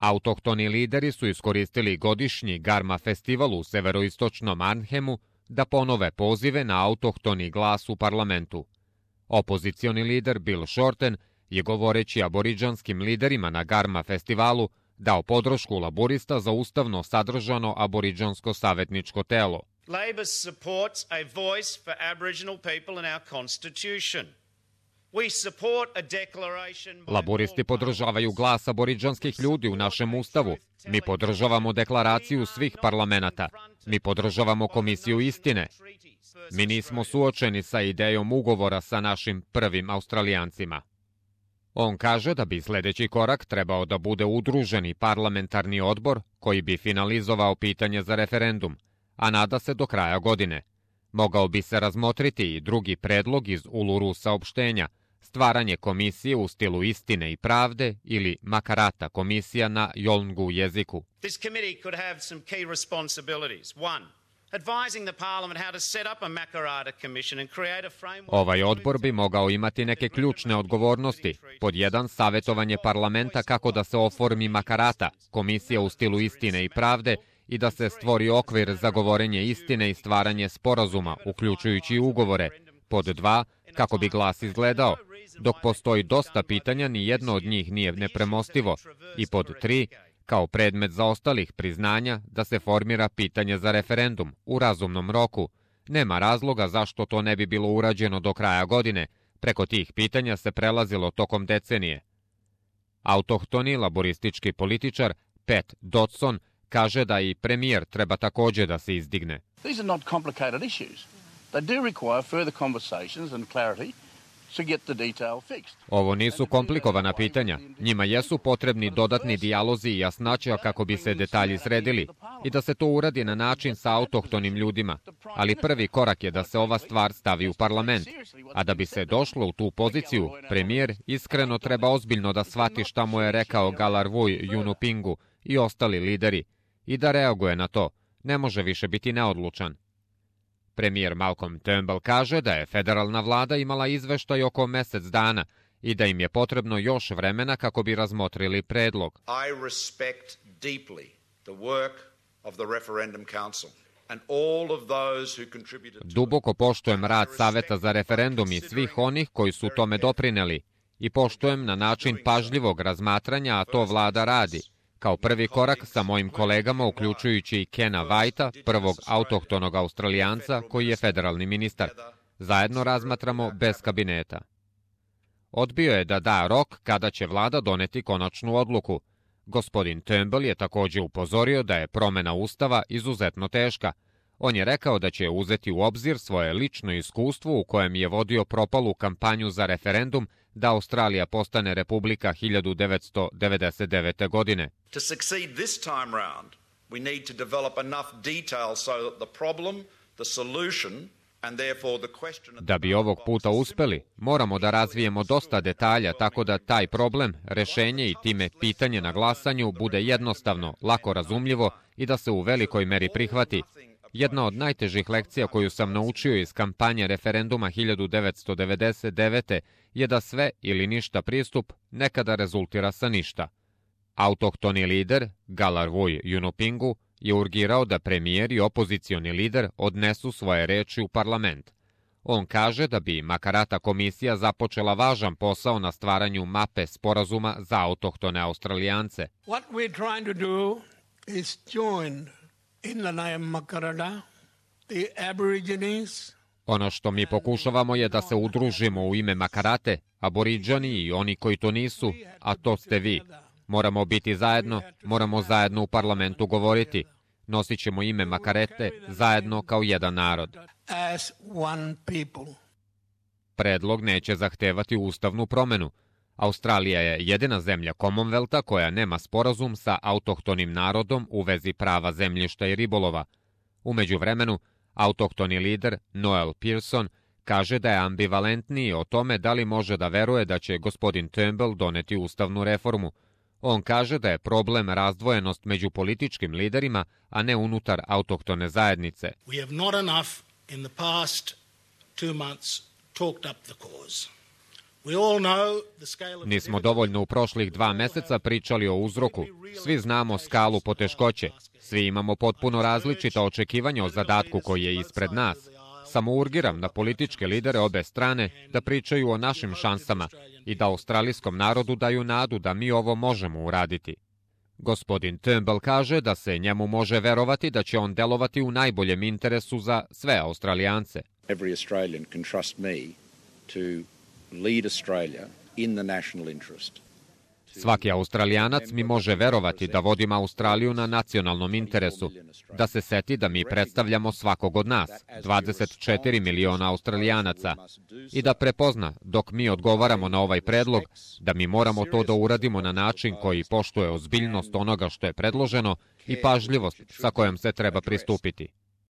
Autohtoni lideri su iskoristili godišnji Garma festival u severoistočnom Arnhemu da ponove pozive na autohtoni glas u parlamentu. Opozicioni lider Bill Shorten je govoreći aboridžanskim liderima na Garma festivalu dao podršku laborista za ustavno sadržano aboridžansko savjetničko telo. Labor supports a voice for Aboriginal people in our constitution. Laboristi podržavaju glas aboridžanskih ljudi u našem ustavu. Mi podržavamo deklaraciju svih parlamenata. Mi podržavamo Komisiju istine. Mi nismo suočeni sa idejom ugovora sa našim prvim Australijancima. On kaže da bi sljedeći korak trebao da bude udruženi parlamentarni odbor koji bi finalizovao pitanje za referendum, a nada se do kraja godine. Mogao bi se razmotriti i drugi predlog iz Uluru saopštenja, stvaranje komisije u stilu istine i pravde ili Makarata komisija na Yolngu jeziku. This committee could have some key responsibilities. One, advising the parliament how to set up a Makarata commission and create a framework. Ovaj odbor bi mogao imati neke ključne odgovornosti. Pod jedan, savjetovanje parlamenta kako da se oformi Makarata, komisija u stilu istine i pravde, i da se stvori okvir za govorenje istine i stvaranje sporazuma, uključujući ugovore. Pod dva, kako bi glas izgledao. Dok postoji dosta pitanja, ni jedno od njih nije nepremostivo. I pod tri, kao predmet zaostalih priznanja, da se formira pitanje za referendum u razumnom roku. Nema razloga zašto to ne bi bilo urađeno do kraja godine. Preko tih pitanja se prelazilo tokom decenije. Autohtoni laboristički političar Pat Dodson kaže da i premijer treba također da se izdigne. These are not complicated issues. They do require further conversations and clarity to get the detail fixed. Ovo nisu komplikovana pitanja. Njima jesu potrebni dodatni dijalozi i jasnaća kako bi se detalji sredili i da se to uradi na način sa autohtonim ljudima. Ali prvi korak je da se ova stvar stavi u parlament. A da bi se došlo u tu poziciju, premijer iskreno treba ozbiljno da shvati šta mu je rekao Galarrwuy Yunupingu i ostali lideri i da reaguje na to. Ne može više biti neodlučan. Premijer Malcolm Turnbull kaže da je federalna vlada imala izveštaj oko mjesec dana i da im je potrebno još vremena kako bi razmotrili predlog. I respect deeply the work of the Referendum Council and all of those who contributed to it. Duboko poštujem rad Saveta za referendum i svih onih koji su tome doprineli i poštujem na način pažljivog razmatranja, a to vlada radi. Kao prvi korak sa mojim kolegama, uključujući i Kena Whitea, prvog autohtonog Australijanca koji je federalni ministar. Zajedno razmatramo bez kabineta. Odbio je da da rok kada će vlada doneti konačnu odluku. Gospodin Turnbull je također upozorio da je promjena ustava izuzetno teška. On je rekao da će uzeti u obzir svoje lično iskustvo u kojem je vodio propalu kampanju za referendum da Australija postane republika 1999. godine. To succeed this time round, we need to develop enough detail so that the problem, the solution, and therefore the question... Da bi ovog puta uspeli, moramo da razvijemo dosta detalja tako da taj problem, rešenje i time pitanje na glasanju bude jednostavno, lako razumljivo i da se u velikoj meri prihvati. Jedna od najtežih lekcija koju sam naučio iz kampanje referenduma 1999. je da sve ili ništa pristup nekada rezultira sa ništa. Autohtoni lider, Galarrwuy Yunupingu, je urgirao da premijer i opozicioni lider odnesu svoje reči u parlament. On kaže da bi Makarata komisija započela važan posao na stvaranju mape sporazuma za autohtone Australijance. What we're trying to do is join in the name Makarata, the Aborigines. Ono što mi pokušavamo je da se udružimo u ime Makarate, Aboriđani i oni koji to nisu, a to ste vi. Moramo biti zajedno, moramo zajedno u parlamentu govoriti. Nosit ćemo ime Makarete zajedno kao jedan narod. As one people. Predlog neće zahtevati ustavnu promjenu. Australija je jedina zemlja Commonwealtha koja nema sporazum sa autohtonim narodom u vezi prava zemljišta i ribolova. U međuvremenu, autohtoni lider Noel Pearson kaže da je ambivalentniji o tome da li može da veruje da će gospodin Turnbull doneti ustavnu reformu. On kaže da je problem razdvojenost među političkim liderima, a ne unutar autohtone zajednice. We have not enough in the past 2 months talked up the cause. Nismo dovoljno u prošlih 2 meseca pričali o uzroku. Svi znamo skalu poteškoće. Svi imamo potpuno različita očekivanja o zadatku koji je ispred nas. Samo urgiram na političke lidere obe strane da pričaju o našim šansama i da australijskom narodu daju nadu da mi ovo možemo uraditi. Gospodin Turnbull kaže da se njemu može verovati da će on delovati u najboljem interesu za sve Australijance. Every Australian can trust me to lead Australia in the national interest. Svaki Australijanac mi može verovati da vodim Australiju na nacionalnom interesu, da se seti da mi predstavljamo svakog od nas, 24 miliona Australijanaca, i da prepozna, dok mi odgovaramo na ovaj predlog, da mi moramo to da uradimo na način koji poštuje ozbiljnost onoga što je predloženo i pažljivost sa kojom se treba pristupiti.